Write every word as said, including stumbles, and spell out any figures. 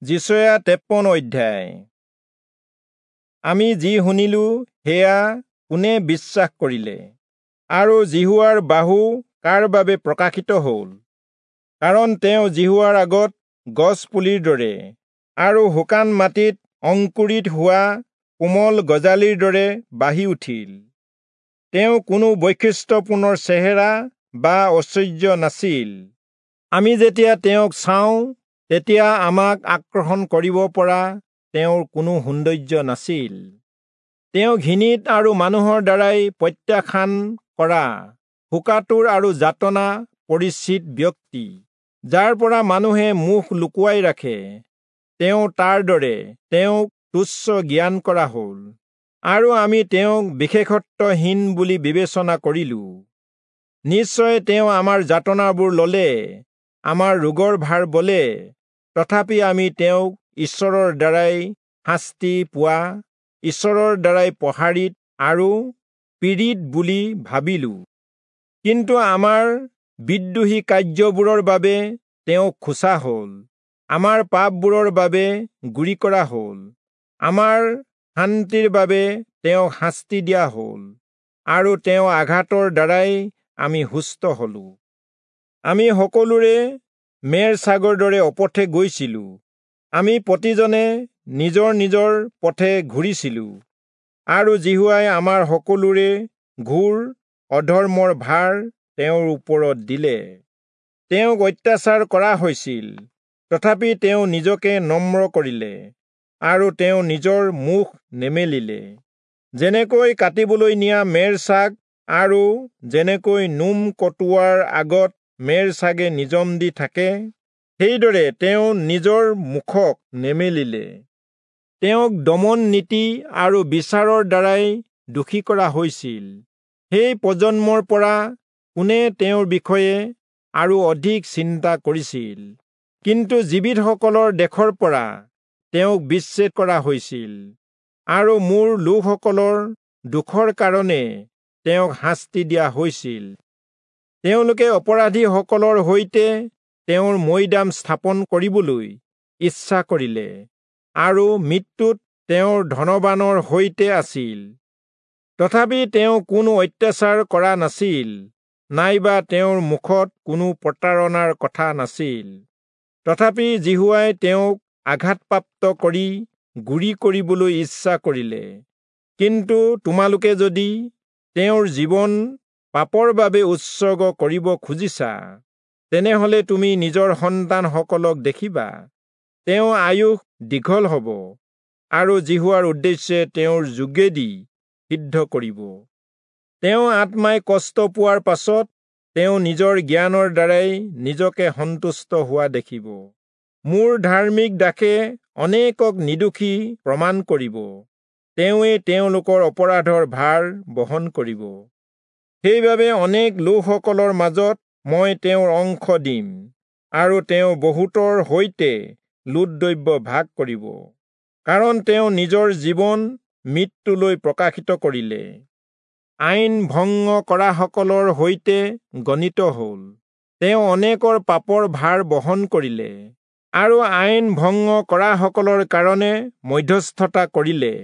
যিচয়া তেপন্ন অধ্যায়। আমি যি শুনিলো সেয়া কোনে বিশ্বাস কৰিলে? আৰু যিহোৱাৰ বাহু কাৰ বাবে প্ৰকাশিত হ'ল? কাৰণ তেওঁ যিহোৱাৰ আগত গছ পুলিৰ দৰে আৰু শুকান মাটিত অংকুৰিত হোৱা কোমল গজালিৰ দৰে বাঢ়ি উঠিল। তেওঁ কোনো বৈশিষ্ট্যপূৰ্ণ চেহেৰা বা ঐশ্বৰ্য নাছিল। আমি যেতিয়া তেওঁক চাওঁ তেতিয়া আমাক আকৰ্ষণ কৰিব পৰা তেওঁৰ কোনো সৌন্দৰ্য নাছিল। তেওঁ ঘৃণিত আৰু মানুহৰ দ্বাৰাই প্ৰত্যাখ্যান কৰা শোকাতুৰ আৰু যাতনা পৰিচিত ব্যক্তি, যাৰ পৰা মানুহে মুখ লুকুৱাই ৰাখে। তেওঁ তাৰ দৰে তেওঁক তুচ্ছ জ্ঞান কৰা হ'ল, আৰু আমি তেওঁক বিশেষত্বহীন বুলি বিবেচনা কৰিলো। নিশ্চয় তেওঁ আমাৰ যাতনাবোৰ ললে, আমাৰ ৰোগৰ ভাৰ বলে। তথাপি আমি তেওঁক ঈশ্বৰৰ দ্বাৰাই শাস্তি পোৱা, ঈশ্বৰৰ দ্বাৰাই প্ৰহাৰিত আৰু পীড়িত বুলি ভাবিলো। কিন্তু আমাৰ বিদ্ৰোহী কাৰ্যবোৰৰ বাবে তেওঁ খোচা হ'ল, আমাৰ পাপবোৰৰ বাবে গুৰি কৰা হ'ল। আমাৰ শান্তিৰ বাবে তেওঁক শাস্তি দিয়া হ'ল, আৰু তেওঁ আঘাতৰ দ্বাৰাই আমি সুস্থ হলো। আমি সকলোৰে মেৰ ছাগৰ দৰে অপথে গৈছিলো। আমি প্ৰতিজনে নিজৰ নিজৰ পথে ঘূৰিছিলো, আৰু যিহোৱাই আমাৰ সকলোৰে ঘোৰ অধৰ্মৰ ভাৰ তেওঁৰ ওপৰত দিলে। তেওঁক অত্যাচাৰ কৰা হৈছিল, তথাপি তেওঁ নিজকে নম্ৰ কৰিলে আৰু তেওঁ নিজৰ মুখ নেমেলিলে। যেনেকৈ কাটিবলৈ নিয়া মেৰ ছাগ আৰু যেনেকৈ নোম কটোৱাৰ আগত মেৰ ছাগে নিজম দি থাকে, সেইদৰে তেওঁ নিজৰ মুখক নেমেলিলে। তেওঁক দমন নীতি আৰু বিচাৰৰ দ্বাৰাই দোষী কৰা হৈছিল। সেই প্ৰজন্মৰ পৰা কোনে তেওঁৰ বিষয়ে আৰু অধিক চিন্তা কৰিছিল? কিন্তু জীৱিতসকলৰ দেশৰ পৰা তেওঁক বিচ্ছেদ কৰা হৈছিল, আৰু মোৰ লোকসকলৰ দুখৰ কাৰণে তেওঁক শাস্তি দিয়া হৈছিল। তেওঁলোকে অপৰাধীসকলৰ সৈতে তেওঁৰ মৈদাম স্থাপন কৰিবলৈ ইচ্ছা কৰিলে, আৰু মৃত্যুত তেওঁৰ ধনবানৰ সৈতে আছিল। তথাপি তেওঁ কোনো অত্যাচাৰ কৰা নাছিল, নাইবা তেওঁৰ মুখত কোনো প্ৰতাৰণাৰ কথা নাছিল। তথাপি যিহোৱাই তেওঁক আঘাতপ্ৰাপ্ত কৰি গুৰি কৰিবলৈ ইচ্ছা কৰিলে। কিন্তু তোমালোকে যদি তেওঁৰ জীৱন পাপৰ বাবে উৎসৰ্গ কৰিব খুজিছা, তেনেহলে তুমি নিজৰ সন্তানসকলক দেখিবা। তেওঁ আয়ুস দীঘল হ'ব, আৰু যিহোৱাৰ উদ্দেশ্যে তেওঁৰ যোগেদি সিদ্ধ কৰিব। তেওঁ আত্মাই কষ্ট পোৱাৰ পাছত তেওঁ নিজৰ জ্ঞানৰ দ্বাৰাই নিজকে সন্তুষ্ট হোৱা দেখিব। মোৰ ধাৰ্মিক দাসে অনেকক নিৰ্দোষী প্ৰমাণ কৰিব, তেওঁৱে তেওঁলোকৰ অপৰাধৰ ভাৰ বহন কৰিব। সেইবাবে অনেক লোকসকলৰ মাজত মই তেওঁৰ অংশ দিম, আৰু তেওঁ বহুতৰ সৈতে লুটদ্ৰব্য ভাগ কৰিব, কাৰণ তেওঁ নিজৰ জীৱন মৃত্যুলৈ প্ৰকাশিত কৰিলে। আইন ভংগ কৰাসকলৰ সৈতে গণিত হ'ল। তেওঁ অনেকৰ পাপৰ ভাৰ বহন কৰিলে, আৰু আইন ভংগ কৰাসকলৰ কাৰণে মধ্যস্থতা কৰিলে।